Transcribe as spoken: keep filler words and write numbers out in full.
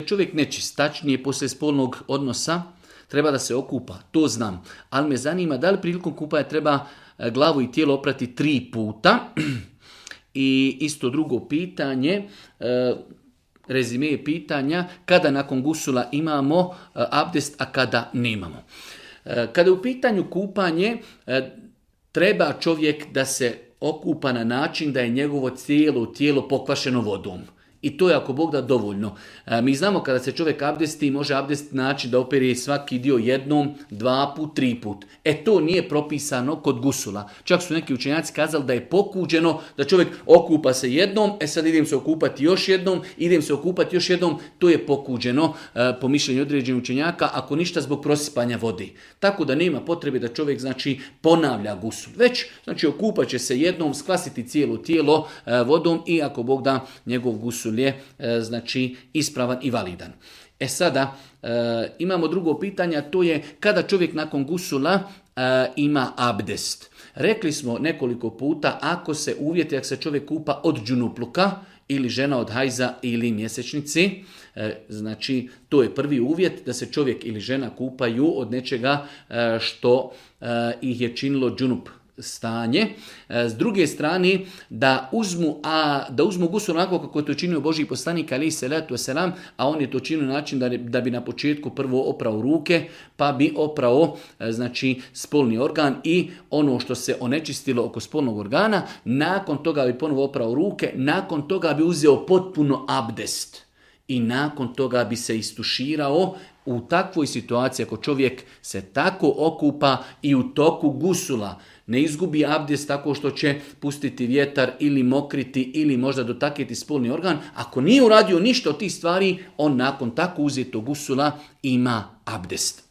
čovjek nečist, tačnije poslije spolnog odnosa, treba da se okupa, to znam. Ali me zanima da li prilikom kupanja treba glavu i tijelo oprati tri puta. I isto drugo pitanje, rezime pitanja, kada nakon gusula imamo abdest, a kada nemamo. Kada je u pitanju kupanje, treba čovjek da se okupa na način da je njegovo cijelo tijelo pokvašeno vodom. I to je ako Bog da dovoljno. E, mi znamo kada se čovjek abdesti, može abdest način da opere svaki dio jednom, dva put, tri put. E to nije propisano kod gusula. Čak su neki učenjaci kazali da je pokuđeno da čovjek okupa se jednom, e sad idem se okupati još jednom, idem se okupati još jednom, to je pokuđeno e, po mišljenju određenih učenjaka, ako ništa zbog prosipanja vode. Tako da nema potrebe da čovjek znači ponavlja gusul. Već znači okupat će se jednom, skvasiti cijelo tijelo e, vodom i ako Bog da njegov gusul je e, znači ispravan i validan. E sada e, imamo drugo pitanje, a to je kada čovjek nakon gusula e, ima abdest. Rekli smo nekoliko puta, ako se uvjeti, ako se čovjek kupa od džunupluka ili žena od hajza ili mjesečnici, e, znači to je prvi uvjet da se čovjek ili žena kupaju od nečega e, što e, ih je činilo džunup stanje. S druge strane, da uzmu, a, da uzmu gusul onako kako je to činio Božji poslanik alejhi selatu selam, a on je to činio na način da, da bi na početku prvo oprao ruke, pa bi oprao znači spolni organ i ono što se onečistilo oko spolnog organa, nakon toga bi ponovo oprao ruke, nakon toga bi uzeo potpuno abdest i nakon toga bi se istuširao. U takvoj situaciji, ako čovjek se tako okupa i u toku gusula ne izgubi abdest tako što će pustiti vjetar ili mokriti ili možda dotaknuti spolni organ, ako nije uradio ništa od tih stvari, on nakon tako uzetog gusula ima abdest.